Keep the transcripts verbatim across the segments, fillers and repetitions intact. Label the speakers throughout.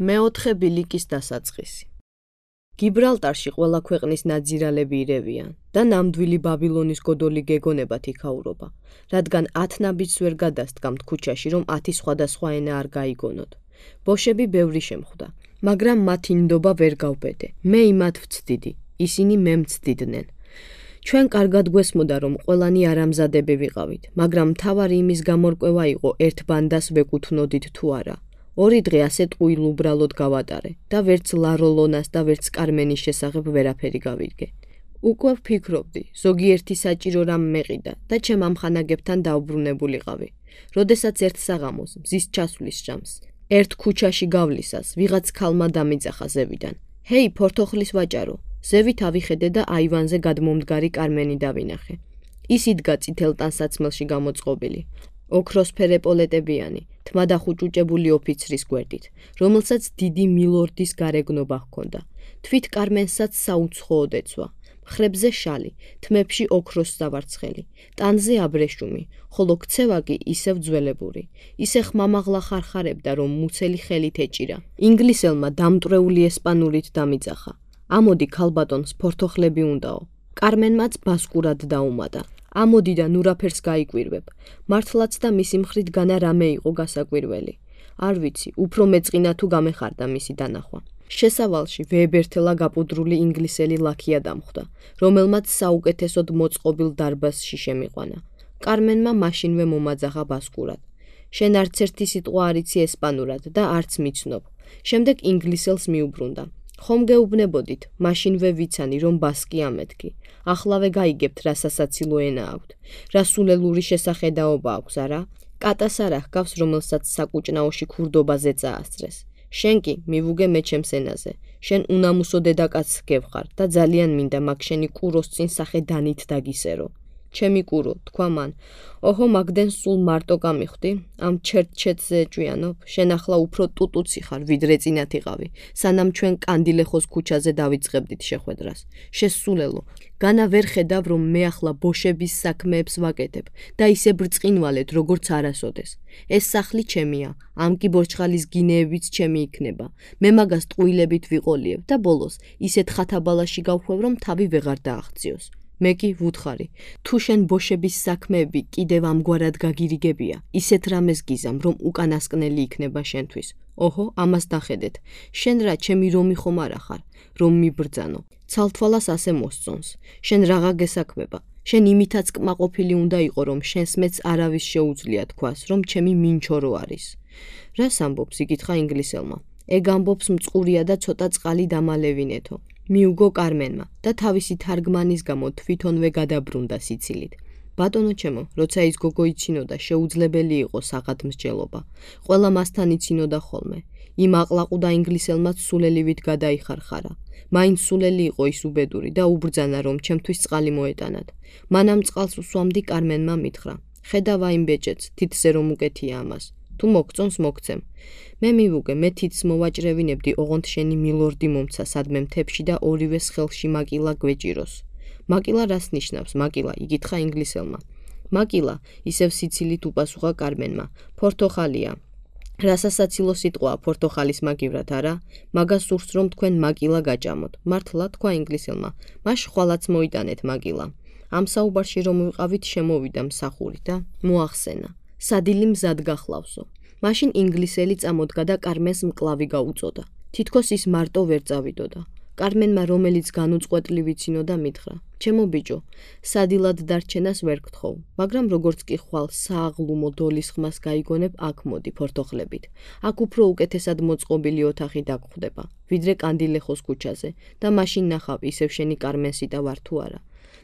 Speaker 1: მეოთხე ბილიკის დასაწყისი. გიბრალტარში ყველა ქვეყნის ნაძირალები ირევიან და ნამდვილი ბაბილონის გოდოლი გეგონებათ იქაურობა, რადგან ათ ნაბიჯს ვერ გადასდგამთ ქუჩაში, რომ ათი სხვადასხვა ენა არ გაიგონოთ. ბოშები ბევრი შემხვდა, მაგრამ მათი ნდობა ვერ გავბედე. მე იმათ ვცდიდი, ისინი მე მცდიდნენ. ჩვენ კარგად გვესმოდა, რომ ყველანი არამზადები ვიყავით, მაგრამ მთავარი იმის გამორკვევა იყო ერთ ბანდას ვეკუთვნოდით თუ არა. ორი დღე ასე ტყუილ უბრალოდ გავატარე და ვერც ლაროლონას და ვერც კარმენის შესახებ ვერაფერი გავიგე. უკვე ვფიქრობდი, ზოგიერთი საჭირო რამ მეყიდა და ჩემ ამხანაგებთან დაუბრუნებულიყავი. როდესაც ერთ საღამოს მზის ჩასვლის ჟამს, ერთ ქუჩაში გავლისას, ვიღაც ქალმა დამიძახა ზევიდან. ჰეი, ფორთოხლის ვაჭარო, ზევით ავიხედე და აივანზე გადმომდგარი კარმენი დავინახე. ის იდგა წითელ ტანსაცმელში გამოწყობილი. ოქროსფერ ეპოლეტებიანი, თმადახუჭუჭებული ოფიცრის გვერდით, რომელსაც დიდი მილორდის გარეგნობა ჰქონდა. თვით კარმენსაც საუცხოოდ ეცვა. მხრებზე შალი, თმებში ოქროს სავარცხელი, ტანზე აბრეშუმი, ხოლო ქცევა კი ისევ ძველებური. ისე ხმამაღლა ხარხარებდა, რომ მუცელი ხელით ეჭირა. ინგლისელმა დამტვრეული ესპანურით დამიძახა. ამოდი ქალბატონს ფორთოხლები უნდაო. კარმენმაც ბასკურად დაუმატა. ამოდი და ნურაფერს გაიკვირვებ. მართლაც და მისი მხრით განა რამე იყო გასაკვირველი. არ ვიცი, უფრო მეწყინა თუ გამეხარდა მისი დანახვა. შესავალში ვეებერთელა გაპუდრული ინგლისელი ლაქია დამხვდა, რომელმაც საუკეთესოდ მოწყობილ დარბაზში შემიყვანა. კარმენმა მაშინვე მომაძახა ბასკურად. შენ არც ერთი სიტყვა არ იცი ესპანურად და არც მიცნობ. შემდეგ ინგლისელს მიუბრუნდა. ხომ გეუბნებოდით, მაშინვე ვიცანი, რომ ბასკი ამეთქი. ახლავე გაიგებთ, რა სასაცილო ენა აქვთ. რა სულელური შესახედაობა აქვს, არა? კატას არ ახგავს, რომელსაც საკუჭნაოში ქურდობაზე წაასწრეს. შენ კი მივუგე მე ჩემს ენაზე. შენ უნამუსო დედაკაცს გევხარ და ძალიან მინდა მაგ შენი კუროს წინ სახე დანით დაგისერო. ჩემი კურო, თქვა მან. ოჰო, მაგდენ სულ მარტო გამიხვდი? ამ ჩერტჩეტზე ეჭვიანობ? შენ ახლა უფრო ტუტუცი ხარ, ვიდრე წინათ იყავი, სანამ ჩვენ კანდილეხოს ქუჩაზე დავიწყებდით შეხვედრას. შესულელო, განა ვერ ხედავ, რომ მე ახლა ბოშების საქმეებს ვაკეთებ და ისე ბრწყინვალეთ, როგორც არასოდეს. ეს სახლი ჩემია, ამ კი ბორჩხალის გინეებიც ჩემი იქნება. მე მაგას ტყუილებით ვიყოლიებ და ბოლოს ისეთ ხათაბალაში გავხვევ, რომ თავი ვეღარ დააღწიოს. მე კი ვუთხარი, თუ შენ ბოშების საქმეები კიდევ ამგვარად გაგირიგებია, ისეთ რამეს გიზამ, რომ უკანასკნელი იქნება შენთვის. ოჰო, ამას დახედეთ. შენ რა ჩემი რომი ხომ არა ხარ, რომ მიბრძანო. ცალთვალას ასე მოსწონს. შენ რაღა გესაქმება. შენ იმითაც კმაყოფილი უნდა იყო, რომ შენს მეც არავის შეუძლია თქვას, რომ ჩემი მინჩორო არის. რას ამბობს, იკითხა ინგლისელმა. ეგ ამბობს მწყურია და ცოტა წყალი დამალევინეთო. მიუგო კარმენმა და თავისი თარგმანის გამო თვითონვე გადაბრუნდა სიცილით. ბატონო ჩემო, როცა ის გოგო იცინოდა, შეუძლებელი იყო საღადმსჯელობა. ყველა მასთან იცინოდა ხოლმე. იმ აყლაყუდა ინგლისელმაც სულელივით გადაიხარხარა. მაინც სულელი იყო ის უბედური და უბრძანა, რომ ჩემთვის წყალი მოეტანათ. მანამ წყალს უსვამდი კარმენმა მითხრა. ხედავა იმ ბეჭედს, თითზე რომ უკეთია ამას. თუ მოგწონს მოგცემ. მე მივუგე, მე თითს მოვაჭრევინებდი, ოღონდ შენი მილორდი მომცა სადმე მთებში და ორივეს ხელში მაკილა გვეჭიროს. მაკილა რას ნიშნავს, მაკილა, იკითხა ინგლისელმა. მაკილა, ისევ სიცილით უპასუხა კარმენმა. ფორთოხალია. რა სასაცილო სიტყვაა ფორთოხალის მაგივრად, არა? მაგას სურს, რომ თქვენ მაკილა გაჭამოთ. მართლა, თქვა ინგლისელმა. მაშ ხვალაც მოიტანეთ მაკილა. ამ საუბარში რომ ვიყავით, შემოვიდა მსახური და მოახსენა. სადილი მზად გახლავსო. მაშინ ინგლისელი წამოდგა და კარმენს მკლავი გაუწოდა. თითქოს ის მარტო ვერ წავიდოდა. კარმენმა რომელიც განუწყვეტლი ვიცინოდა მითხრა. ჩემო ბიჭო, სადილად დარჩენას ვერ გთხოვ, მაგრამ როგორც კი ხვალ სააღლუმო დოლის ხმას გაიგონებ, აქ მოდი ფორთოხლებით. აქ უფრო უკეთესად მოწყობილი ოთახი დაგხვდება, ვიდრე კანდილეხოს ქუჩაზე და მაშინ ნახავ ისევ შენი კარმენსიტა ვარ თუ არა.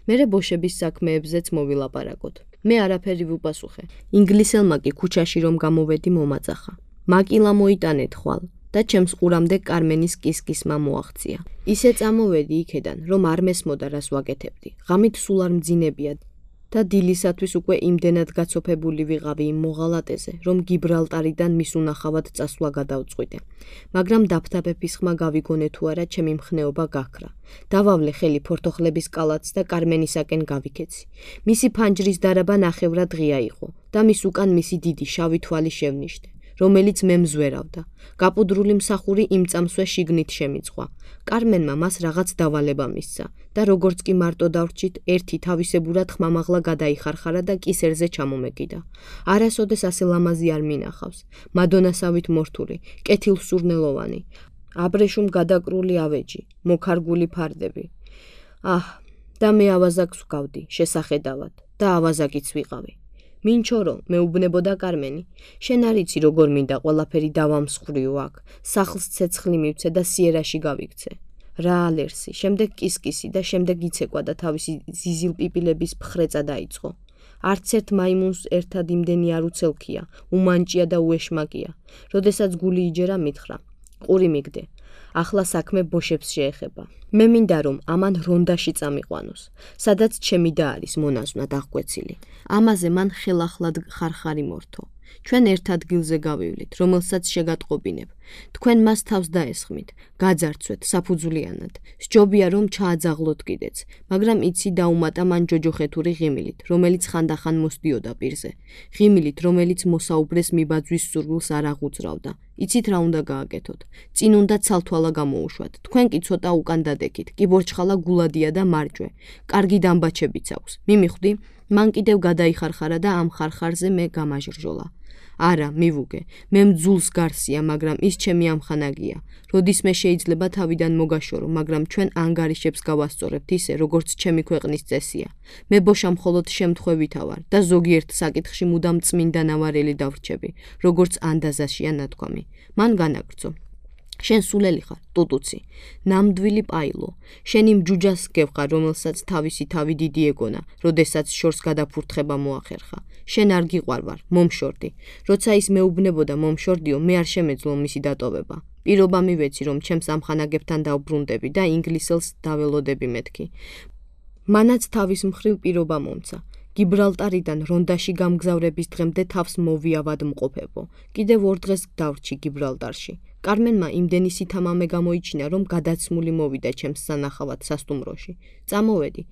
Speaker 1: მერე ბოშების საქმეებზეც მოვილაპარაკოთ. მე არაფერი ვუპასუხე. ინგლისელმა კი ქუჩაში რომ გამოვედი მომაძახა. მაკილა მოიტანეთ ხვალ და ჩემს ყურამდე კარმენის კისკისმა მოაღწია. ისე წამოვედი იქედან, რომ არ მესმოდა რას ვაკეთებდი. ღამით სულ არ მძინებია და დილისათვის უკვე იმდენად გაცოფებული ვიყავი იმ მოღალატეზე, რომ გიბრალტარიდან მის უნახავად წასვლა გადავწყვიტე. მაგრამ დაფთაბების ხმა გავიგონე თუ არა, ჩემი მხნეობა გაქრა. დავავლე ხელი ფორთოხლების კალათს და კარმენისაკენ გავიქეცი. მისი ფანჯრის დარაბა ნახევრად ღია იყო და მის უკან მისი დიდი შავი თვალი შევნიშნე. რომელიც მე მზვერავდა. გაპუდრული მსახური იმ წამსვე შიგნით შემიწყვა. კარმენმა მას რაღაც დავალება მისცა და როგორც კი მარტო დავრჩით, ერთი თავისებურად ხმამაღლა გადაიხარხარა და კისერზე ჩამომეკიდა. არასოდეს ასე ლამაზი არ მინახავს. მადონასავით მორთული, კეთილსურნელოვანი, აბრეშუმ გადაკრული ავეჯი, მოქარგული ფარდები. აჰ, და მე ავაზაკს ვგავდი, შესახედავად, და ავაზაკიც ვიყავი. მინჩორო, მეუბნებოდა კარმენი. შენ არ იცი როგორ მინდა ყველაფერი დავამსხვრიო აქ, სახლს ცეცხლი მივცე და სიერაში გავიქცე. რა ალერსი, შემდეგ კისკისი და შემდეგ იცეკვა და თავისი ზიზილპიპილების ფხრეწა დაიწყო. არც ერთ მაიმუნს ერთად იმდენი არ უცელქია, უმანჭია და უეშმაკია. როდესაც გული იჯერა მითხრა. ყური მიგდე. ახლა საქმე ბოშებს შეეხება. მე მინდა რომ ამან რონდაში წამიყვანოს, სადაც ჩემი და არის მონაზვნად აღკვეცილი. ამაზე მან ხელახლად ხარხარი მორთო. ჩვენ ერთ ადგილზე გავივლით, რომელსაც შეგატყობინებ. თქვენ მას თავს დაესხმით, გაძარცვეთ საფუძვლიანად. სჯობია რომ ჩააძაღლოთ კიდეც, მაგრამ იცი დაუმატა მან ჯოჯოხეთური ღიმილით, რომელიც ხანდახან მოსდიოდა პირზე. ღიმილით, რომელიც მოსაუბრეს მიბაძვის სურვილს არ აღუძრავდა. იცით რა უნდა გააკეთოთ? წინ უნდა ცალთვალა გამოუშვათ. თქვენ კი ცოტა უკან დადეკით, კიბორჩხალა გულადია და მარჯვე. კარგი დამბაჩებიც აქვს. მიმიხვდი, მან კიდევ გადაიხარხარა და ამ ხარხარზე მე გამაჟრჟოლა. არა, მივუგე, მე მძულს გარსია, მაგრამ ის ჩემი ამხანაგია. როდისმე შეიძლება თავიდან მოგაშორო, მაგრამ ჩვენ ანგარიშებს გავასწორებთ ისე, როგორც ჩემი ქვეყნის წესია. მე ბოშა მხოლოდ შემთხვევითა ვარ და ზოგიერთ საკითხში მუდამ წმინდა ნავარელი დავრჩები, როგორც ანდაზაშია ნათქვამი. მან განაგრძო. შენ სულელი ხარ, ტუტუცი, ნამდვილი პაილო. შენ იმ ჯუჯას გევყარ, რომელსაც თავისი თავი დიდი ეგონა, როდესაც შორს გადაფურთხება მოახერხა. შენ არ გიყვარ ვარ, მომშორდი. როცა ის მეუბნებოდა მომშორდიო, მე არ შემეძლო მისი დატოვება. პირობა მივეცი, რომ ჩემს ამხანაგებთან დავბრუნდები და ინგლისელს დაველოდები მეთქი. მანაც თავის მხრივ პირობა მომცა. გიბრალტარიდან რონდაში გამგზავრების დღემდე თავს მოვიავადმყოფებო. კიდევ ორ დღეს დავრჩი გიბრალტარში. კარმენმა იმდენი სითამამე გამოიჩინა, რომ გადაცმული მოვიდა ჩემს სანახავად სასტუმროში. წამოვედი.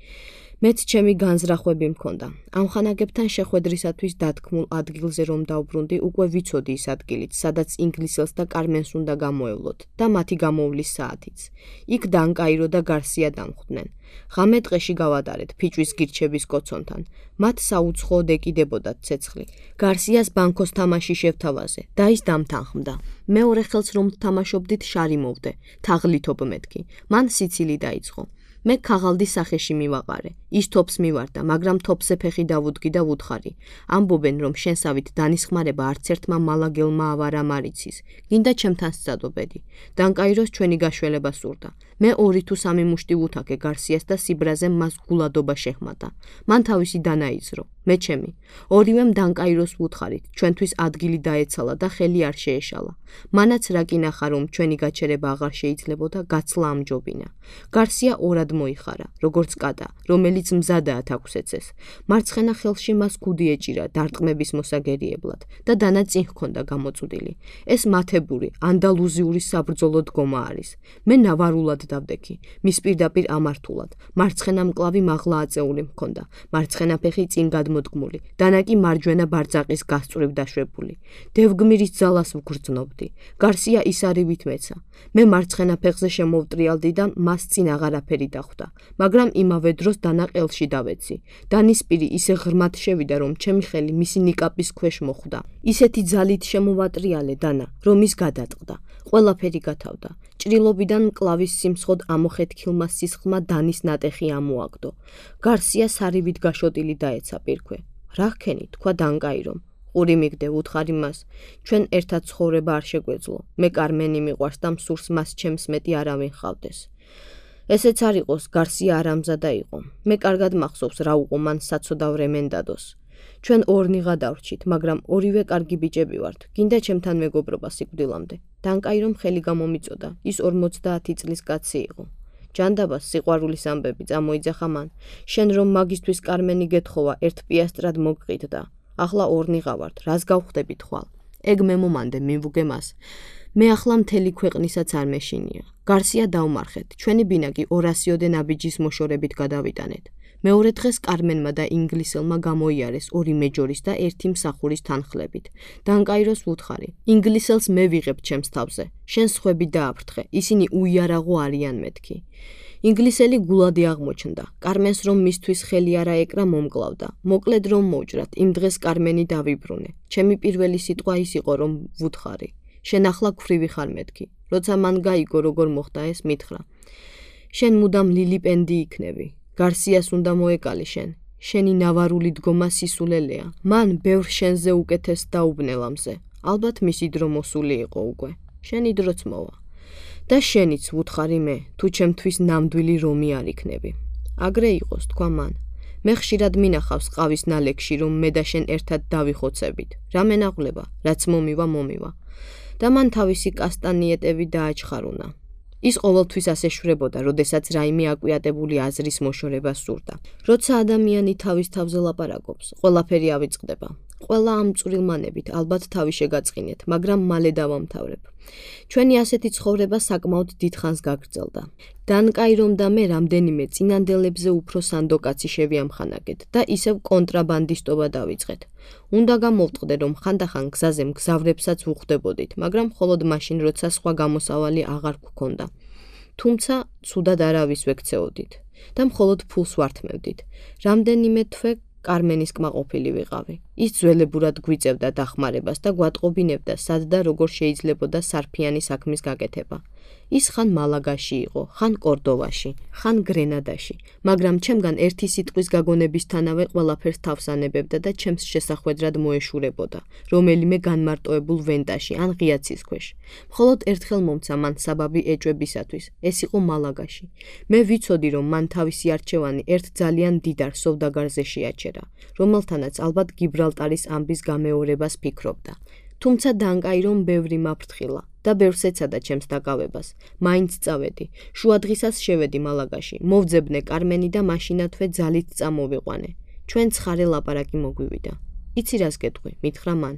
Speaker 1: მეც ჩემი განზრახვები მქონდა. ამხანაგებთან შეხვედრისათვის დათქმულ ადგილზე რომ დავბრუნდი, უკვე ვიცოდი ის ადგილით, სადაც ინგლისელს და კარმენს უნდა გამოევლოთ და მათი გამოვლის საათიც. იქ დანკაირო და გარსია დამხვდნენ. ღამე ტყეში გავატარეთ ფიჭვის გირჩების კოცონთან. მათ საუცხოოდ ეკიდებოდათ ცეცხლი. გარსიას ბანკოს თამაში შევთავაზე და ის დამთანხმდა. მეორე ხელს რომ თამაშობდით შარი მოვდე, თაღლითობ მეთქი. მან სიცილი დაიწყო. მე ქაღალდის სახეში მივაყარე. ის თოფს მივარდა, მაგრამ თოფზე ფეხი დავუდგი და ვუთხარი. ამბობენ, რომ შენსავით დანისხმარება არც ერთმა მალაგელმა ავარა მარიცის. გინდა ჩემთან სცადობედი. დანკაიროს ჩვენი გაშველება სურდა. მე ორი თუ სამი მუშტი ვუთაკე გარსიას და სიბრაზე მას გულადობა შეჰმატა. მან თავისი დანაიძრო. მე ჩემი. ორივემ დანკაიროს ვუთხარით, ჩვენთვის ადგილი დაეცალა და ხელი არ შეეშალა. მანაც რა კი ნახა, რომ ჩვენი გაჩერება აღარ შეიძლებოდა, გაცლა ამჯობინა. გარსია ორად მოიხარა, როგორც კატა, რომელიც მზადაა თაგვსეცეს. მარცხენა ხელში მას ქუდი ეჭირა დარტყმების მოსაგერიებლად და დანა წინ ჰქონდა გამოწვდილი. ეს მათებური, ანდალუზიური საბრძოლო დგომა არის. მე ნავარულად დავდექი, მის პირდაპირ ამართულად. მარცხენა მკლავი მაღლა აწეული მქონდა, მარცხენა ფეხი წინ გადმოდგმული, დანა კი მარჯვენა ბარძაყის გასწვრივ დაშვებული. დევგმირის ძალას ვგრძნობდი. გარსია ისარივით მეცა. მე მარცხენა ფეხზე შემოვტრიალდი და მას წინ აღარაფერი დახვდა, მაგრამ იმავე დროს დანა ყელში დავეცი. დანის პირი ისე ღრმად შევიდა, რომ ჩემი ხელი მისი ნიკაპის ქვეშ მოხვდა. ისეთი ძალით შემოვატრიალე დანა, რომ ის გადატყდა. ყველაფერი გათავდა. ჭრილობიდან მკლავის სიმცხოდ ამოხეთქილმა სისხლმა დანის ნატეხი ამოაგდო. გარსია სარივით გაშოტილი დაეცა პირქვე. რა ხქენი, თქვა დანკაირომ. ყური მიგდე, უთხარი მას. ჩვენ ერთად ცხოვრება არ შეგვეძლო. მე კარმენი მიყვარს და მსურს მას ჩემს მეტი არავინ ჰყავდეს. ესეც არ იყოს, გარსია არამზადა იყო. მე კარგად მახსოვს რა უყო მან საცოდავ რემენდადოს. ჩვენ ორნიღა დავრჩით, მაგრამ ორივე კარგი ბიჭები ვართ. გინდა ჩემთან მეგობრობა სიკვდილამდე. დანკაირომ ხელი გამომიწოდა. ის ორმოცდაათი წლის კაცი იყო. ჯანდაბას სიყვარულის ამბები წამოიძახა მან. შენ რომ მაგისთვის კარმენი გეთხოვა, ერთ პიასტრად მოგყიდდა. ახლა ორნიღა ვართ, რას გავხდებით ხვალ? ეგ მე მომანდე მივუგე მას. მე ახლა მთელი ქვეყნისაც არ მეშინია. გარსია დავმარხეთ, ჩვენი ბინაგი ორასიოდე ნაბიჯის მოშორებით გადავიტანეთ. მეორე დღეს კარმენმა და ინგლისელმა გამოიარეს ორი მეჯორის და ერთი მსახურის თანხლებით. დანკაიროს ვუთხარი. ინგლისელს მე ვიღებ ჩემს თავზე. შენ სხვები დააფრთხე. ისინი უიარაღო არიან მეთქი. ინგლისელი გულადი აღმოჩნდა. კარმენს რომ მისთვის ხელი არა ეკრა მომკლავდა. მოკლედ რომ მოვჭრათ, იმ დღეს კარმენი დავიბრუნე. ჩემი პირველი სიტყვა ის იყო რომ ვუთხარი. შენ ახლა ქვრივი ხარ მეთქი. როცა მან გაიგო როგორ მოხდა ეს, მითხრა. შენ მუდამ ლილიპენდი იქნები. გარსიას უნდა მოეკალი შენ. შენი ნავარული დგომა სისულელეა. მან ბევრ შენზე უკეთეს დაუბნელამზე. ალბათ მისი დრო მოსული იყო უკვე. შენი დროც მოვა. და შენიც ვუთხარი მე, თუ ჩემთვის ნამდვილი რომი არ იქნები. აგრე იყოს, თქვა მან. მე ხშირად მინახავს ყავის ნალექში, რომ მე და შენ ერთად დავიხოცებით. რა მენაღვლება, რაც მომივა, მომივა. და მან თავისი კასტანიეტები დააჩხარულა. ის ყოველთვის ასე შვებოდა, როდესაც რაიმე აკვიატებული აზრის მოშორება სურდა. როცა ადამიანი თავის თავზე ლაპარაკობს, ყველაფერი ავიწყდება. ყველა ამ წვრილმანებით ალბათ თავი შეგაწყინეთ, მაგრამ მალე დავამთავრებ. ჩვენი ასეთი ცხოვრება საკმაოდ დიდხანს გაგრძელდა. დანკაირომ და მე რამდენიმე წინანდელებზე უფრო სანდოკაცი შევიამხანაგეთ და ისევ კონტრაბანდისტობა დავიწყეთ. უნდა გამოვტყდე, რომ ხანდახან გზაზე მგზავრებსაც ვუხვდებოდით, მაგრამ მხოლოდ მაშინ, როცა სხვა გამოსავალი აღარ გქონდა. თუმცა ცუდად არავის ვექცეოდით და მხოლოდ ფულს ვართმევდით. რამდენიმე თვე კარმენის კმაყოფილი ვიყავი. ის ძველებურად გვიწევდა დახმარებას და გვატყობინებდა, სად და როგორ შეიძლებოდა სარფიანი საქმის გაკეთება. ის ხან მალაგაში იყო, ხან კორდოვაში, ხან გრენადაში, მაგრამ ჩემგან ერთი სიტყვის გაგონებისთანავე ყველაფერს თავს ანებებდა და ჩემს შესახვედრად მოეშურებოდა, რომელიმე განმარტოებულ ვენტაში ან ღიაცის ქვეშ. მხოლოდ ერთხელ მომცა მან საბაბი ეჭვებისათვის, ეს იყო მალაგაში. მე ვიცოდი, რომ მან თავისი არჩევანი ერთ ძალიან დიდარ სოვდაგარზე შეაჩერა, რომელთანაც ალბათ გიბრალტარის ამბის გამეორებას ფიქრობდა. თუმცა დანკაირომ ბევრი მაფრთხილა და ბევრს ეცადა ჩემს დაკავებას. მაინც წავედი. შუადღისას შევედი მალაგაში. მოვძებნე კარმენი და მაშინათვე ძალით წამოვიყვანე. ჩვენ ცხარე ლაპარაკი მოგვივიდა. იცი რას გეტყვი, მითხრა მან.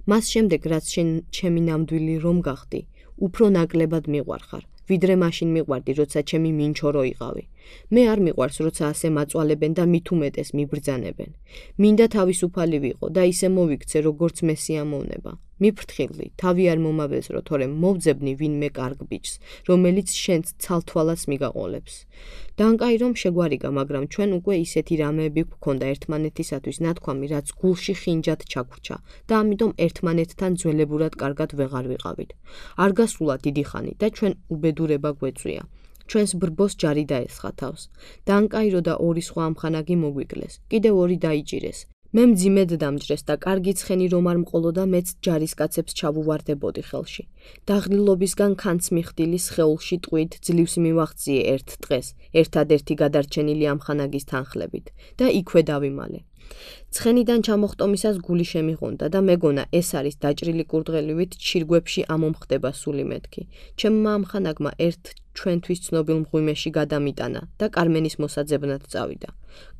Speaker 1: მას შემდეგ რაც შენ ჩემი ნამდვილი რომ გახდი, უფრო ნაკლებად მიყვარხარ. ვიდრე მაშინ მიყვარდი, როცა ჩემი მინჩორო იყავი. მე არ მიყვარს, როცა ასე მაწვალებენ და მით უმეტეს მიბრძანებენ. მინდა თავისუფალი ვიყო და ისე მოვიქცე, როგორც მე სიამოვნება. მიფრთხილდი, თავი არ მომავეზრო, თორემ მოვძებნი ვინმე კარგ ბიჭს, რომელიც შენც ცალთვალას მიგაყოლებს. დანკაირომ შეგვარიგა, მაგრამ ჩვენ უკვე ისეთი რამეები გვქონდა ერთმანეთისათვის ნათქვამი, რაც გულში ხინჯად ჩაგვრჩა და ამიტომ ერთმანეთთან ძველებურად კარგად ვეღარ ვიყავით. არ გასულა დიდი ხანი და ჩვენ უბედურება გვეწვია. ჩვენს ბრბოს ჯარი დაესხა თავს. დანკაირო და ორი სხვა ამხანაგი მოგვიკლეს. კიდევ ორი დაიჭირეს. მე მძიმედ დამჯრეს და კარგი ცხენი რომ არ მყოლოდა, მეც ჯარისკაცებს ჩავუვარდებოდი ხელში. დაღლილობისგან ქანც მიხდილი სხეულში ტყვით ძლივს მივაღწიე ერთ დღეს, ერთადერთი გადარჩენილი ამხანაგის თანხლებით და იქვე დავიმალე. ცხენიდან ჩამოხტომისას გული შემიღონდა და მეგონა ეს არის დაჭრილი კურდღელივით ჩირგვებში ამომხდება სული მეთქი. ჩემმა ამხანაგმა ერთ ჩვენთვის ცნობილ მღვიმეში გადამიტანა და კარმენის მოსაძებნად წავიდა.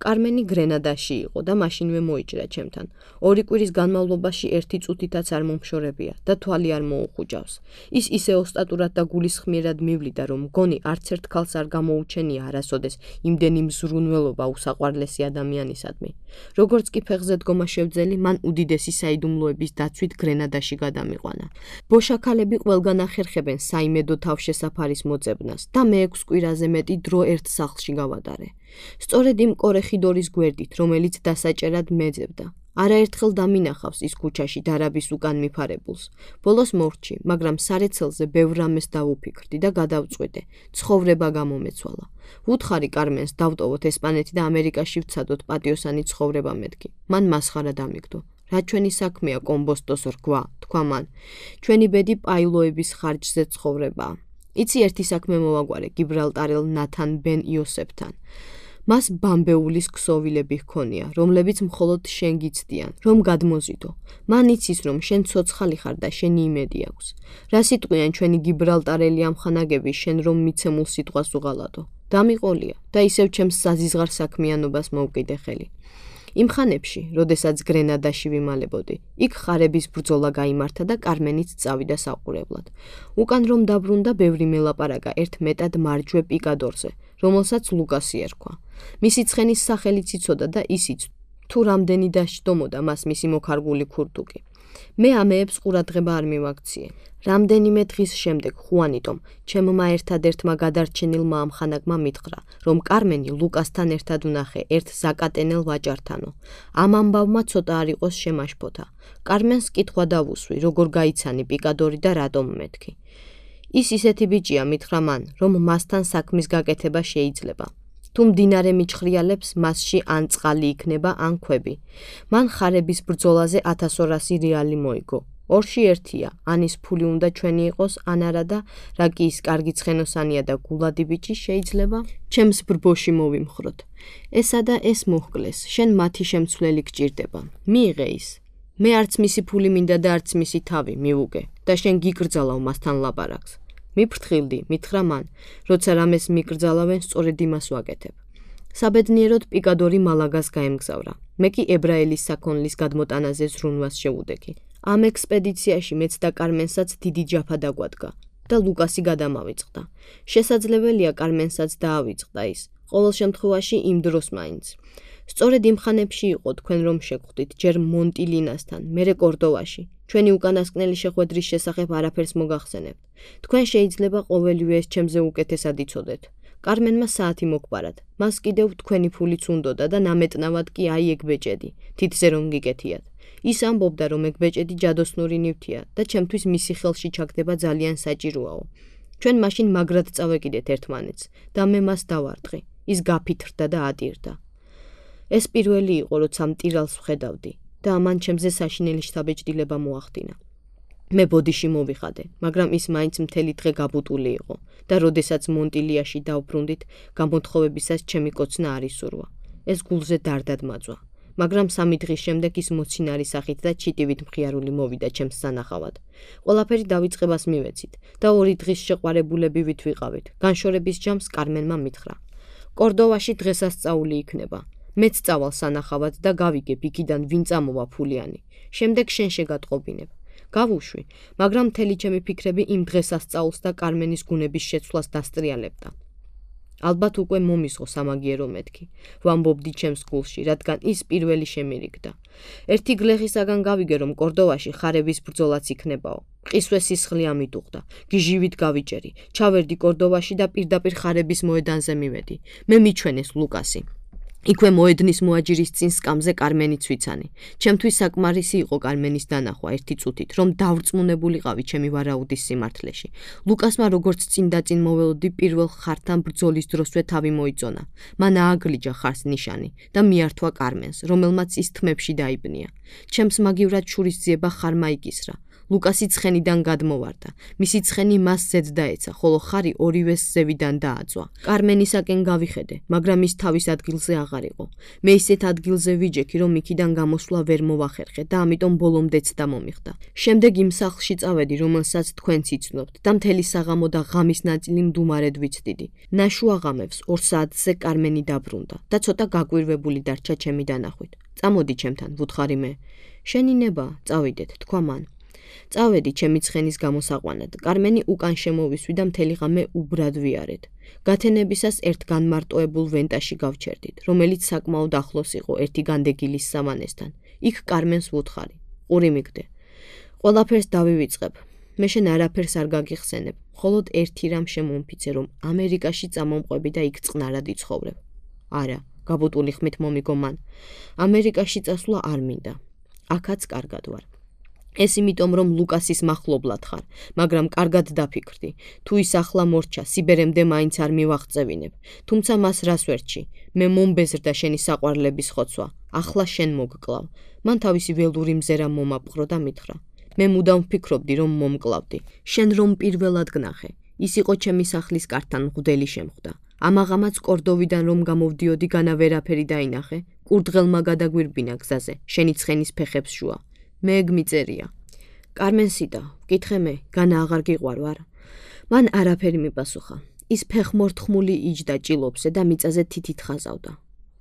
Speaker 1: კარმენი გრენადაში იყო და მაშინვე მოიჭრა ჩემთან. ორი კვირის განმავლობაში ერთი წუთითაც არ მომშორებია და თვალი არ მოუხუჭავს. ის ისე ოსტატურად და გულისხმიერად მივლიდა, რომ მგონი არც ერთ ქალს არ გამოუჩენია არასოდეს იმდენი მზრუნველობა უსაყვარლესი ადამიანისადმი. როგორც კი ფეხზე დგომა შევძელი, მან უდიდესი საიდუმლოების დაცვით გრენადაში გადამიყვანა. ბოშაქალები ყველგან ახერხებენ საიმედო თავშესაფარის მოძებნას და მე ექვს კვირაზე მეტი დრო ერთ სახლში გავატარე. სწორედ იმ კორეხიდორის გვერდით, რომელიც დასაჭერად მეძებდა. არაერთხელ დამინახავს ის ქუჩაში დარაბის უკან მიფარებულს. ბოლოს მორჩი, მაგრამ სარეცელზე ბევრ რამეს დავუფიქრდი და გადავწყვიტე. ცხოვრება გამომეცვალა. ვუთხარი კარმენს დავტოვოთ ესპანეთი და ამერიკაში ვცადოთ პატიოსანი ცხოვრება მეთქი. მან მასხარა დამიგდო. რა ჩვენი საქმეა კომბოსტოს რგვა, თქვა მან. ჩვენი ბედი პაილოების ხარჯზე ცხოვრებაა. იცი ერთი საქმე მოვაგვარე გიბრალტარელ ნათან ბენ იოსებთან. მას ბამბეულის ქსოვილები ჰქონია, რომლებიც მხოლოდ შენ გიცდიან, რომ გადმოზიდო. მან იცის, რომ შენ ცოცხალი ხარ და შენი იმედი აქვს. რა სიტყვიან ჩვენი გიბრალტარელი ამხანაგები შენ რომ მიცემულ სიტყვას უღალატო. დამიყოლია და ისევ ჩემს საზიზღარ საქმიანობას მოვკიდე ხელი. იმ ხანებში, როდესაც გრენადაში ვიმალებოდი, იქ ხარების ბრძოლა გაიმართა და კარმენიც წავიდა საყურებლად. უკან რომ დაბრუნდა, ბევრი მელაპარაკა ერთ მეტად მარჯვე პიკადორზე, რომელსაც ლუკასი ერქვა. მისი ცხენის სახელიც იცოდა და ისიც თუ რამდენი დასჯდომოდა მას მისი მოქარგული ქურდუკი. მე ამეებს ყურადღება არ მივაქციე. რამდენიმე დღის შემდეგ ხუანიტომ, ჩემმა ერთადერთმა გადარჩენილმა ამხანაგმა მითხრა, რომ კარმენი ლუკასთან ერთად უნახე ერთ ზაკატენელ ვაჭართანო. ამ ამბავმა ცოტა არ იყოს შემაშფოთა. კარმენს კითხვა დავუსვი, როგორ გაიცანი პიკადორი და რატომ მეთქი. ის ისეთი ბიჭია, მითხრა მან, რომ მასთან საქმის გაკეთება შეიძლება. თუ მდინარე მიჩხრიალებს, მასში ან წყალი იქნება, ან ქვები. მან ხარების ბრძოლაზე ათას ორასი რეალი მოიგო. ორში ერთია, ან ის ფული უნდა ჩვენი იყოს, ან არა და რა კი ის კარგი ცხენოსანია და გულადი ბიჭი შეიძლება, ჩემს ბრბოში მოვიმხროთ. ესა და ეს მოჰკლეს, შენ მათი შემცვლელი გჭირდება. მიიღე ის. მე არც მისი ფული მინდა და არც მისი თავი, მივუგე და შენ გიკრძალავ მასთან ლაპარაკს. მიფრთხილდი, მითხრა მან, როცა რამეს მიკრძალავენ, სწორედ იმას ვაკეთებ. საბედნიეროდ პიკადორი მალაგას გაემგზავრა. მე კი ებრაელის საქონლის გადმოტანაზე ზრუნვას შევუდექი. ამ ექსპედიციაში მეც და კარმენსაც დიდი ჯაფა დაგვადგა და ლუკასი გადამავიწყდა. შესაძლებელია კარმენსაც დაავიწყდა ის. ყოველ შემთხვევაში იმ დროს მაინც. სწორედ იმ ხანებში იყო თქვენ რომ შეგხვდით ჯერ მონტილინასთან, მერე კორდოვაში. ჩვენი უკანასკნელი შეხვედრის შესახებ არაფერს მოგახსენებთ. თქვენ შეიძლება ყოველივე ეს ჩემზე უკეთესად იცოდეთ. კარმენმა საათი მოგბარად. მას კიდევ თქვენი ფულიც უნდოდა და ნამეტნავად კი აი ეგ ბეჭედი, თითზე რომ გიკეთიათ. ის ამბობდა, რომ ეგ ბეჭედი ჯადოსნური ნივთია და ჩემთვის მისი ხელში ჩაგდება ძალიან საჭიროაო. ჩვენ მაშინ მაგრად წავეკიდეთ ერთმანეთს და მე მას დავარტყი. ის გაფითრდა და ატირდა. ეს პირველი იყო, როცა მტირალს ვხედავდი და ამან ჩემზე საშინელი შთაბეჭდილება მოახდინა. მე ბოდიში მოვიხადე, მაგრამ ის მაინც მთელი დღე გაბუტული იყო და როდესაც მონტილიაში დავბრუნდით, გამოთხოვებისას ჩემი კოცნა არ ისურვა. ეს გულზე დარდად მაძვა. მაგრამ სამი დღის შემდეგ ის მოცინარი სახით და ჩიტივით მხიარული მოვიდა ჩემს სანახავად. ყველაფერი დავიწყებას მივეცით და ორი დღის შეყვარებულები ვით ვიყავით. განშორების ჯამს კარმენმა მითხრა. კორდოვაში დღესასწაული იქნება. მეც წავალ სანახავად და გავიგებ იქიდან ვინ წამოვა ფულიანი. შემდეგ შენ შეგატყობინებ. გავუშვი, მაგრამ მთელი ჩემი ფიქრები იმ დღესასწაულს და კარმენის გუნების შეცვლას დასტრიალებდა. ალბათ უკვე მომისღო სამაგიერო მეთქი. ვამბობდი ჩემს გულში, რადგან ის პირველი შემირიგდა. ერთი გლეხისაგან გავიგე, რომ კორდოვაში ხარების ბრძოლაც იქნებაო. მყისვე სისხლი ამიტუხდა. გიჟივით გავიჭერი. ჩავერდი კორდოვაში და პირდაპირ ხარების მოედანზე მივედი. მე მიჩვენეს ლუკასი. იქვე მოედნის მოაჯირის წინ სკამზე კარმენიც ვიცანი. ჩემთვის საკმარისი იყო კარმენის დანახვა ერთი წუთით, რომ დავრწმუნებულიყავი ჩემი ვარაუდის სიმართლეში. ლუკასმა როგორც წინ და წინ მოველოდი პირველ ხართან ბრძოლის დროსვე თავი მოიწონა. მან ააგლიჯა ხარს ნიშანი და მიართვა კარმენს, რომელმაც ის თმებში დაიბნია. ჩემს მაგივრად შურისძიება ხარმა იკისრა. ლუკასი ცხენიდან გადმოვარდა. მისი ცხენი მას ზედ დაეცა, ხოლო ხარი ორივეს ზევიდან დააწვა. კარმენისაკენ გავიხედე, მაგრამ ის თავის ადგილზე აღარ იყო. მე ისეთ ადგილზე ვიჯექი, რომ იქიდან გამოსვლა ვერ მოვახერხე და ამიტომ ბოლომდეც დამომიხდა. შემდეგ იმ სახლში წავედი, რომელსაც თქვენც იცნობთ და მთელი საღამო და ღამის ნაწილი მდუმარედ ვიცდიდი. ნაშუა ღამებს ორ საათზე კარმენი დაბრუნდა და ცოტა გაკვირვებული დარჩა ჩემი დანახვით. წამოდი ჩემთან, ვუთხარი მე. შენი ნება, წავიდეთ, თქვა მან. წავედი ჩემი ცხენის გამოსაყვანად. კარმენი უკან შემოვისვი და მთელი ღამე უბრად ვიარეთ. გათენებისას ერთ განმარტოებულ ვენტაში გავჩერდით, რომელიც საკმაოდ ახლოს იყო ერთი განდეგილის სამანესთან. იქ კარმენს ვუთხარი. ყური მიგდე. ყველაფერს დავივიწყებ. მე შენ არაფერს არ გაგიხსენებ. მხოლოდ ერთი რამ შემომფიცე, რომ ამერიკაში წამომყვები და იქ წყნარად იცხოვრებ. არა, გაბუტული ხმით მომიგო მან. ამერიკაში წასვლა არ მინდა. აქაც კარგად ვარ. ეს იმიტომ, რომ ლუკასის მახლობლად ხარ, მაგრამ კარგად დაფიქრდი. თუ ის ახლა მორჩა, სიბერემდე მაინც არ მივაღწევინებ. თუმცა მას რას ვერჩი? მე მომბეზრდა შენი საყვარლების ხოცვა. ახლა შენ მოგკლავ. მან თავისი ველური მზერა მომაპყრო და მითხრა. მე მუდამ ვფიქრობდი, რომ მომკლავდი. შენ რომ პირველად გნახე. ის იყო ჩემი სახლის კართან მღვდელი შემხვდა. ამაღამაც კორდოვიდან რომ გამოვდიოდი, განა ვერაფერი დაინახე. კურდღელმა გადაგვირბინა გზაზე, შენი ცხენის ფეხებს შუა. მე ეგ მიწერია. კარმენსიდა, ვკითხე მე, განა აღარ გიყვარ ვარ? მან არაფერი მიპასუხა. ის ფეხმორთხმული იჯდა ჭილობზე და მიწაზე თითით ხაზავდა.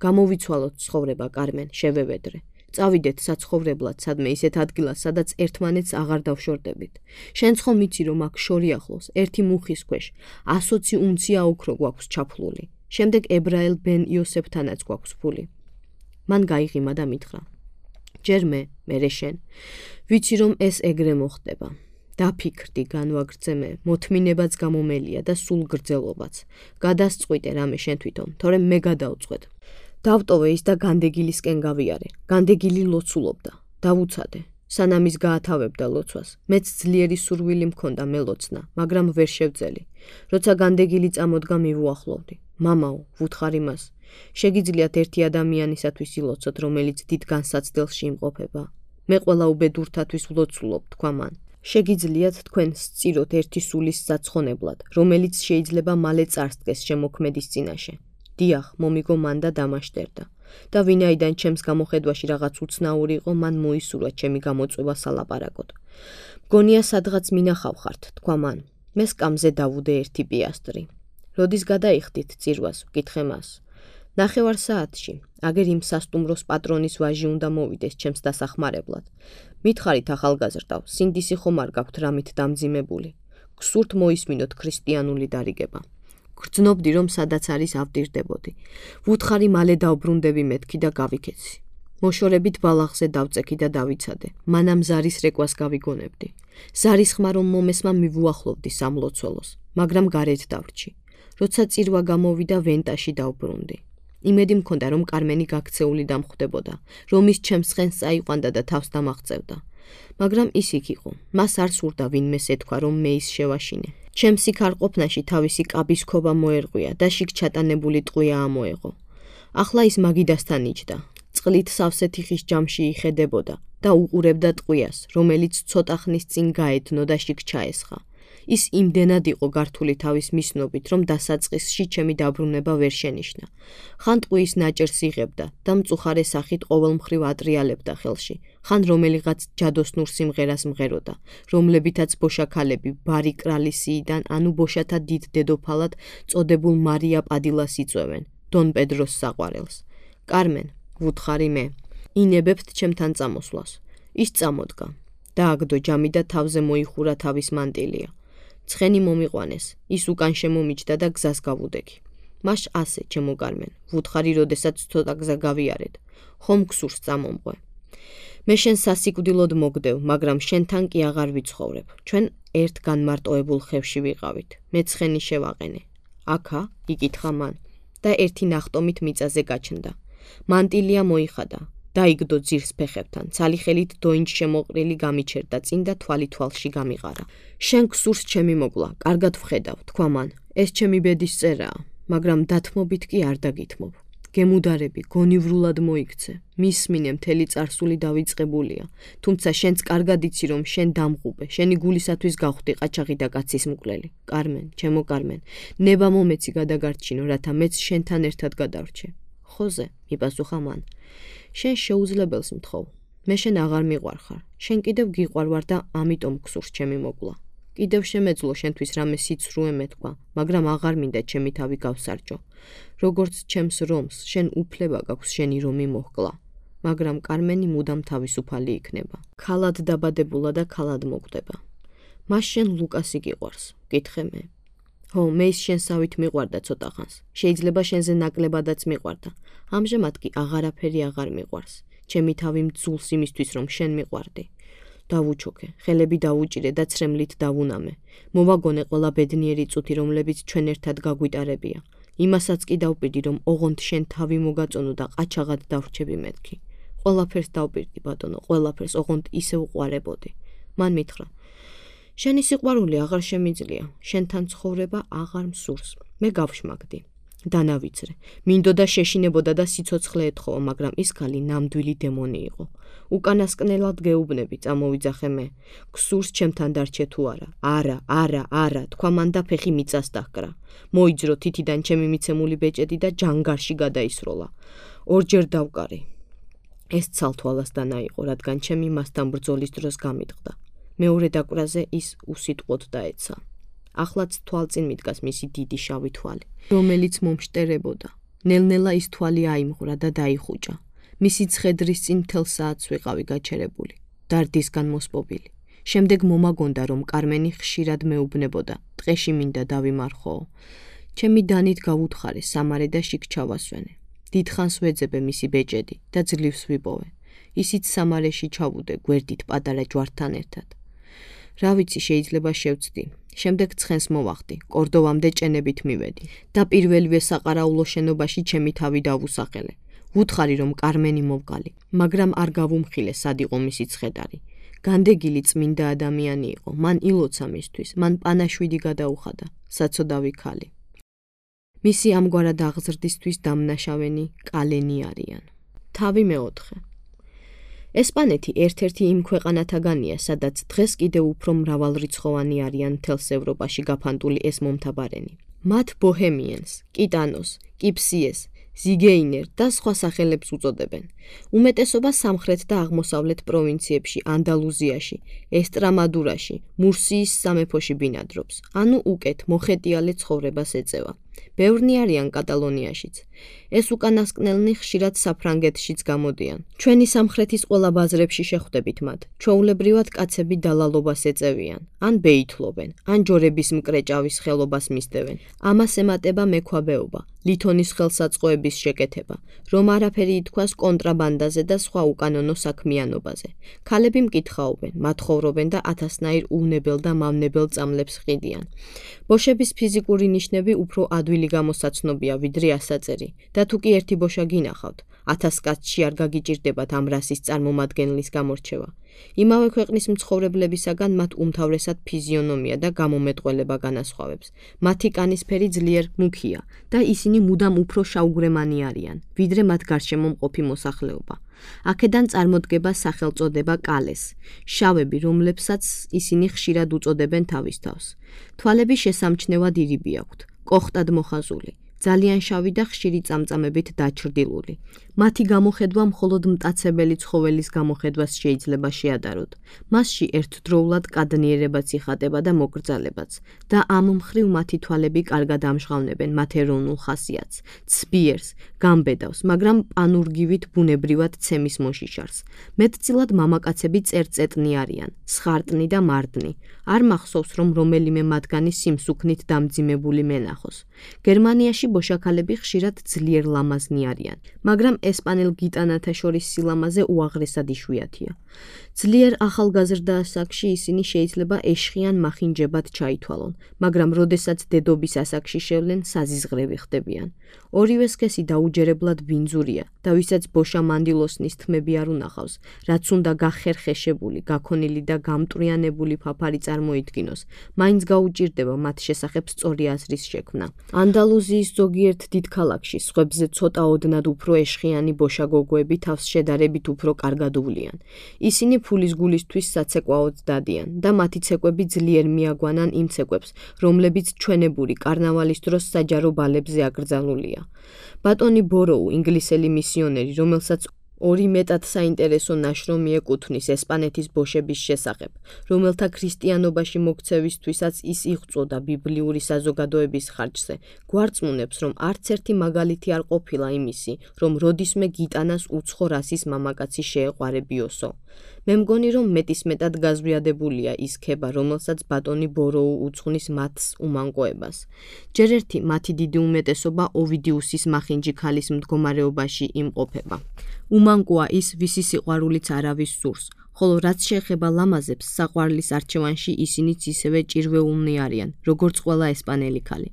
Speaker 1: გამოვიცვალოთ ცხოვრება, კარმენ, შევევედრე. წავიდეთ საცხოვრებლად, სადმე ისეთ ადგილას, სადაც ერთმანეთს აღარ დავშორდებით. შენც ხომ იცი, რომ აქ შორი ახლოს, ერთი მუხის ქვეშ, ასოცი უნცია ოქრო გვაქვს ჩაფლული. შემდეგ ებრაელ ბენ იოსეფთანაც გვაქვს ფული. მან გაიღიმა და მითხრა: ჯერ მე, მერე შენ. ვიცი, რომ ეს ეგრე მოხდება. დაფიქრდი, განვაგრძე მე, მოთმინებაც გამომელია და სულ გრძელობაც. გადასწყვიტე რამე შენ თვითონ, თორემ მე გადავწყვეტ. დავტოვე ის და განდეგილისკენ გავიარე. განდეგილი ლოცულობდა. დავუცადე. სანამ ის გაათავებდა ლოცვას, მეც ძლიერი სურვილი მქონდა მელოცნა, მაგრამ ვერ შევძელი. როცა განდეგილი წამოდგა, მივუახლოვდი. მამაო, ვუთხარი მას. შეგიძლიათ ერთი ადამიანისათვის ილოცოთ, რომელიც დიდ განსაცდელში იმყოფება. მე ყველა უბედურთათვის ვლოცულობ, თქვა მან. შეგიძლიათ თქვენ სწიროთ ერთი სულის საცხონებლად, რომელიც შეიძლება მალე წარსდგეს შემოქმედის წინაშე. დიახ, მომიგო მან და დამაშტერდა. და ვინაიდან ჩემს გამოხედვაში რაღაც უცნაური იყო, მან მოისურვა ჩემი გამოწვევა სალაპარაკოდ. მგონია სადღაც მინახავ ხართ, თქვა მან. მე სკამზე დავუდე ერთი პიასტრი. როდის გადაიხდით წირვას, ვკითხე მას. ნახევარ საათში, აგერ იმ სასტუმროს პატრონის ვაჟი უნდა მოვიდეს ჩემს დასახმარებლად. მითხარით ახალგაზრდავ, სინდისი ხომ არ გაქვთ რამით დამძიმებული. გსურთ მოისმინოთ ქრისტიანული დარიგება. გრძნობდი, რომ სადაც არის ავტირდებოდი. ვუთხარი მალე დავბრუნდები მეთქი და გავიქეცი. მოშორებით ბალახზე დავწექი და დავიცადე. მანამ ზარის რეკვას გავიგონებდი. ზარის ხმა რომ მომესმა მივუახლოვდი სამლოცველოს, მაგრამ გარეთ დავრჩი. როცა წირვა გამოვიდა, ვენტაში დავბრუნდი. იმედი მქონდა, რომ კარმენი გაქცეული დამხვდებოდა, რომ ის ჩემს ცხენს წაიყვანდა და თავს დამაღწევდა. მაგრამ ის იქ იყო. მას არ სურდა ვინმეს ეთქვა, რომ მე ის შევაშინე. ჩემს იქ არ ყოფნაში თავისი კაბის ქობა მოერღვია და შიგ ჩატანებული ტყვია ამოეღო. ახლა ის მაგიდასთან იჯდა. წყლით სავსე თიხის ჯამში იხედებოდა და უყურებდა ტყვიას, რომელიც ცოტა ხნის წინ გაედნო და შიგ ჩაესხა. ის იმდენად იყო გართული თავის მისნობით, რომ დასაწყისში ჩემი დაბრუნება ვერ შენიშნა. ხან ტყუის ნაჭერს იღებდა და მწუხარე სახით ყოველმხრივ ატრიალებდა ხელში. ხან რომელიღაც ჯადოსნურ სიმღერას მღეროდა, რომლებითაც ბოშაქალები ბარი კრალისიიდან, ანუ ბოშათა დიდ დედოფალად წოდებულ მარია პადილას იწვევენ, დონ პედროს საყვარელს. კარმენ, ვუთხარი მე, ინებებთ ჩემთან წამოსვლას. ის წამოდგა. დააგდო ჯამი და თავზე მოიხურა თავის მანტილია. ცხენი მომიყვანეს, ის უკან შემომიჯდა და გზას გავუდექი. მაშ ასე, ჩემო კარმენ, ვუთხარი, როდესაც ცოტა გზა გავიარეთ. ხომ გსურს წამომყვე. მე შენ სასიკვდილოდ მოგდევ, მაგრამ შენთან კი აღარ ვიცხოვრებ. ჩვენ ერთ განმარტოებულ ხევში ვიყავით. მე ცხენი შევაყენე. აქა, იკითხა მან და ერთი ნახტომით მიწაზე გაჩნდა. მანტილია მოიხადა. დაიგდო ძირს ფეხებთან, ცალი ხელით დოინჯ შემოყრილი გამიჩერდა წინ და თვალი თვალში გამიყარა. შენ გსურს ჩემი მოგლა, კარგად ვხედავ, თქვა მან. ეს ჩემი ბედის წერაა, მაგრამ დათმობით კი არ დაგითმობ. გემუდარები, გონივრულად მოიქცე. მისმინე, მთელი წარსული დავიწყებულია. თუმცა შენც კარგად იცი, რომ შენ დამღუბე, შენი გულისათვის გავხდი ყაჩაღი და კაცის მკვლელი. კარმენ, ჩემო კარმენ, ნება მომეცი გადაგარჩინო, რათა მეც შენთან ერთად გადავრჩე. ხოზე, მიპასუხა მან. შენ შეუძლებელს მთხოვ. მე შენ აღარ მიყვარხარ. შენ კიდევ გიყვარვარ და ამიტომ გსურს ჩემი მოგლა. კიდევ შემეძლო შენთვის რამე სიცრუე მეთქვა, მაგრამ აღარ მინდა ჩემი თავი გავსარჯო. როგორც ჩემს რომს, შენ უფლება გაქვს შენი რომი მოჰკლა. მაგრამ კარმენი მუდამ თავისუფალი იქნება. ქალად დაბადებულა და ქალად მოკვდება. მას შენ ლუკასი გიყვარს, ვკითხე მე. ჰო, მე ის შენსავით მიყვარდა ცოტა ხანს. შეიძლება შენზე ნაკლებადაც მიყვარდა. ამჟამად კი აღარაფერი აღარ მიყვარს. ჩემი თავი მძულს იმისთვის, რომ შენ მიყვარდი. დავუჩოქე, ხელები დავუჭირე და ცრემლით დავუნამე. მოვაგონე ყველა ბედნიერი წუთი, რომლებიც ჩვენ ერთად გაგვიტარებია. იმასაც კი დავპირდი, რომ ოღონდ შენ თავი მოგაწონო და ყაჩაღად დავრჩები მეთქი. ყველაფერს დავპირდი, ბატონო, ყველაფერს ოღონდ ისე უყვარებოდი. მან მითხრა: შენი სიყვარული აღარ შემიძლია, შენთან ცხოვრება აღარ მსურს. მე გავშმაგდი. დანავიცრე. მინდოდა შეშინებოდა და სიცოცხლე ეთხოვა, მაგრამ ის ქალი ნამდვილი დემონი იყო. უკანასკნელად გეუბნები, წამოვიძახე მე. გსურს ჩემთან დარჩე თუ არა? არა, არა, არა, თქვა მან და ფეხი მიწას დაჰკრა. მოიძრო თითიდან ჩემი მიცემული ბეჭედი და ჯანგარში გადაისროლა. ორჯერ დავკარი. ეს ცალთვალას დანა იყო, რადგან ჩემი მასთან ბრძოლის დროს გამიტყდა. მეორე დაკვრაზე ის უსიტყვოდ დაეცა. ახლაც თვალწინ მიდგას მისი დიდი შავი თვალი, რომელიც მომშტერებოდა. ნელ-ნელა ის თვალი აიმღვრა და დაიხუჭა. მისი ცხედრის წინ მთელ საათს ვიყავი გაჩერებული, დარდისგან მოსპობილი. შემდეგ მომაგონდა, რომ კარმენი ხშირად მეუბნებოდა, ტყეში მინდა დავიმარხოო. ჩემი დანით გავუთხარე სამარე და შიგ ჩავასვენე. დიდხანს ვეძებე მისი ბეჭედი და ძლივს ვიპოვე. ისიც სამარეში ჩავუდე გვერდით პატარა ჯვართან ერთად. რა ვიცი, შეიძლება შევცდი. შემდეგ ცხენს მოვახდი, კორდოვამდე ჭენებით მივედი და პირველივე საყარაულო შენობაში ჩემი თავი დავუსახელე. ვუთხარი, რომ კარმენი მოვგალი, მაგრამ არ გავუმხილე სად იყო მისი ცხედარი. განდეგილი წმინდა ადამიანი იყო, მან ილოცა მისთვის, მან პანაშვიდი გადაუხადა, საცოდავი ქალი. მისი ამგვარად აღზრდისთვის დამნაშავენი კალენი არიან. თავი მეოთხე. ესპანეთი ერთ-ერთი იმ ქვეყანათაგანია, სადაც დღეს კიდევ უფრო მრავალრიცხოვანი არიან მთელს ევროპაში გაფანტული ეს მომთაბარენი. მათ ბოჰემიენს, კიტანოს, კიფსიეს, ზიგეინერ და სხვა სახელებს უწოდებენ. უმეტესობა სამხრეთ და აღმოსავლეთ პროვინციებში, ანდალუზიაში, ესტრამადურაში, მურსიის სამეფოში ბინადრობს, ანუ უკეთ მოხეტიალე ცხოვრებას ეწევა. ბევრნი არიან კატალონიაშიც. ეს უკანასკნელნი ხშირად საფრანგეთშიც გამოდიან. ჩვენი სამხრეთის ყველა ბაზრებში შეხვდებით მათ. ჩვეულებრივად კაცები დალალობას ეწევიან, ან ბეითლობენ, ან ჯორების მკრეჭავის ხელობას მისდევენ. ამას ემატება მექვაბეობა, ლითონის ხელსაწყოების შეკეთება, რომ არაფერი ითქვას კონტრაბანდაზე და სხვა უკანონო საქმიანობაზე. ქალები მკითხაობენ, მათხოვრობენ და ათასნაირ უვნებელ და მავნებელ წამლებს ყიდიან. ბოშების ფიზიკური ნიშნები უფრო ადვილი გამოსაცნობია, ვიდრე ასაწერი. და თუ კი ერთი ბოშა გინახავთ, ათას კაცში არ გაგიჭირდებათ ამ რასის წარმომადგენლის გამორჩევა. იმავე ქვეყნის მცხოვრებლებისაგან მათ უმთავრესად ფიზიონომია და გამომეტყველება განასხვავებს. მათი კანისფერი ძლიერ მუქია და ისინი მუდამ უფრო შავგვრემანი არიან, ვიდრე მათ გარშემო მყოფი მოსახლეობა. აქედან წარმოდგება სახელწოდება კალეს, შავები, რომლებსაც ისინი ხშირად უწოდებენ თავის თავს. თვალები შესამჩნევად ირიბი აქვთ, კოხტად მოხაზული. ძალიან შავი და ხშირი წამწამებით დაჩრდილული. მათი გამოხედვა მხოლოდ მტაცებელი ცხოველის გამოხედვას შეიძლება შეადაროთ. მასში ერთდროულად კადნიერებაც იხატება და მოკრძალებაც და ამ მხრივ მათი თვალები კარგად ამჟღავნებენ მათ ეროვნულ ხასიათს, ცბიერს, გამბედავს, მაგრამ პანურგივით ბუნებრივად ცემის მოშიშარს. მეტწილად მამაკაცები წერწეტნი არიან, სხარტნი და მარდნი. არ მახსოვს, რომ რომელიმე მათგანი სიმსუქნით დამძიმებული მენახოს. გერმანიაში ბოშაქალები ხშირად ძლიერ ლამაზნი არიან, მაგრამ ესპანელ გიტანათა შორის სილამაზე უაღრესად იშვიათია. ძლიერ ახალგაზრდა ასაკში ისინი შეიძლება ეშხიან მახინჯებად ჩაითვალონ, მაგრამ როდესაც დედობის ასაკში შევლენ, საზიზღრები ხდებიან. ორივე სქესი დაუჯერებლად ბინძურია და ვისაც ბოშა მანდილოსნის თმები არ უნახავს, რაც უნდა გახერხეშებული, გაქონილი და გამტრიანებული ფაფარი წარმოიდგინოს, მაინც გაუჭირდება მათ შესახებ სწორი აზრის შექმნა. ანდალუზიის ზოგიერთ დიდ ქალაქში სხვებზე ცოტა ოდნავ უფრო ეშხიანი ბოშაგოგოები თავს შედარებით უფრო კარგად უვლიან. ისინი ფულის გულისთვის საცეკვაოდ დადიან და მათი ცეკვები ძლიერ მიაგვანან იმ ცეკვებს, რომლებიც ჩვენებური კარნავალის დროს საჯარო ბალებზე აკრძალულია. ბატონი ბოროუ, ინგლისელი მისიონერი, რომელსაც ორი მეტად საინტერესო ნაშრომი ეკუთვნის ესპანეთის ბოშების შესახებ, რომელთა ქრისტიანობაში მოქცევისთვისაც ის იღვწოდა ბიბლიური საზოგადოების ხარჯზე, გვარწმუნებს, რომ არც ერთი მაგალითი არ ყოფილა იმისი, რომ როდისმე გიტანას უცხო რასის მამაკაცი შეეყვარებიოსო. მე მგონი, რომ მეტისმეტად გაზვიადებულია ის ქება, რომელსაც ბატონი ბოროუ უძღვნის მათს უმანკოებას. ჯერ ერთი მათი დიდი უმეტესობა ოვიდიუსის მახინჯი ქალის მდგომარეობაში იმყოფება. უმანკოა ის, ვისი სიყვარულიც არავის სურს, ხოლო რაც შეეხება ლამაზებს, საყვარლის არჩევანში ისინიც ისევე ჭირვეულნი არიან, როგორც ყველა ესპანელი ქალი.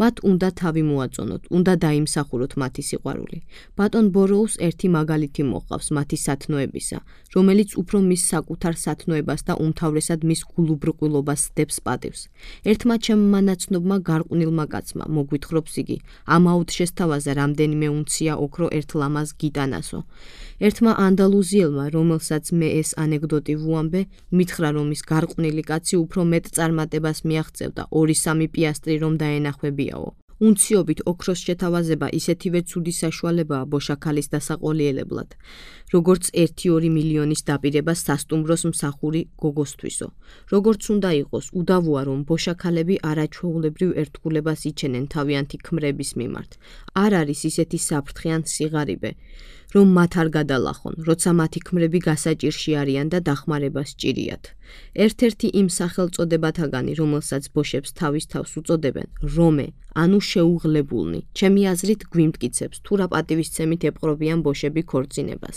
Speaker 1: მათ უნდა თავი მოაწონოთ, უნდა დაიმსახუროთ მათი სიყვარული. ბატონ ბოროუს ერთი მაგალითი მოყავს მათი სათნოებისა, რომელიც უფრო მის საკუთარ სათნოებას და უმთავრესად მის გულუბრყვილობას დებს პატივს. ერთმა ჩემმა ნაცნობმა გარყვნილმა კაცმა, მოგვითხრობს იგი, ამაოდ შესთავაზა რამდენიმე უნცია ოქრო ერთ ლამაზ გიტანასო. ერთმა ანდალუზიელმა, რომელსაც მე ეს ანეკდოტი ვუამბე, მითხრა, რომ ის გარყვნილი კაცი უფრო მეტ წარმატებას მიაღწევდა ორი სამი პიასტრი რომ დაენახვებიაო. უნციობით ოქროს შეთავაზება ისეთივე ცუდი საშუალებაა ბოშაქალის დასაყოლიელებლად. როგორც ერთი-ორი მილიონის დაპირება სასტუმროს მსახური გოგოსთვისო. Როგორც უნდა იყოს, უდავოა რომ ბოშაქალები არაჩვეულებრივ ერთგულებას იჩენენ თავიანთი ქმრების მიმართ. არ არის ისეთი საფრთხე ან სიღარიბე, რომ მათ არ გადალახონ, როცა მათი ქმრები გასაჭირში არიან და დახმარება სჭირიათ. ერთ-ერთი იმ სახელწოდებათაგანი, რომელსაც ბოშებს თავის თავს უწოდებენ, რომე, ანუ შეუღლებულნი, ჩემი აზრით გვიმტკიცებს, თუ რა პატივისცემით ეპყრობიან ბოშები ქორწინებას.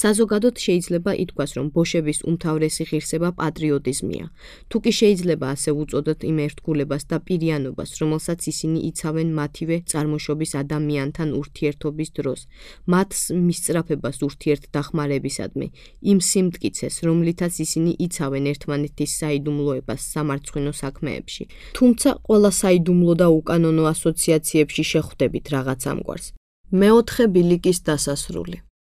Speaker 1: საზოგადოდ შეიძლება ითქვას, რომ ბოშების უმთავრესი ღირსება პატრიოტიზმია. თუ კი შეიძლება ასე უწოდოთ იმ ერთგულებას და პირიანობას, რომელსაც ისინი იცავენ მათივე წარმოშობის ადამიანთან ურთიერთობის დროს, მათ მისწრაფებას ურთიერთდახმარებისადმი, იმ სიმტკიცეს, რომლითაც ისინი იცავენ ერთმანეთის საიდუმლოებას სამარცხვინო საქმეებში. თუმცა ყველა საიდუმლო და უკანონო ასოციაციებში შეხვდებით რაღაც ამგვარს. მეოთხე ბილიკის დასასრული.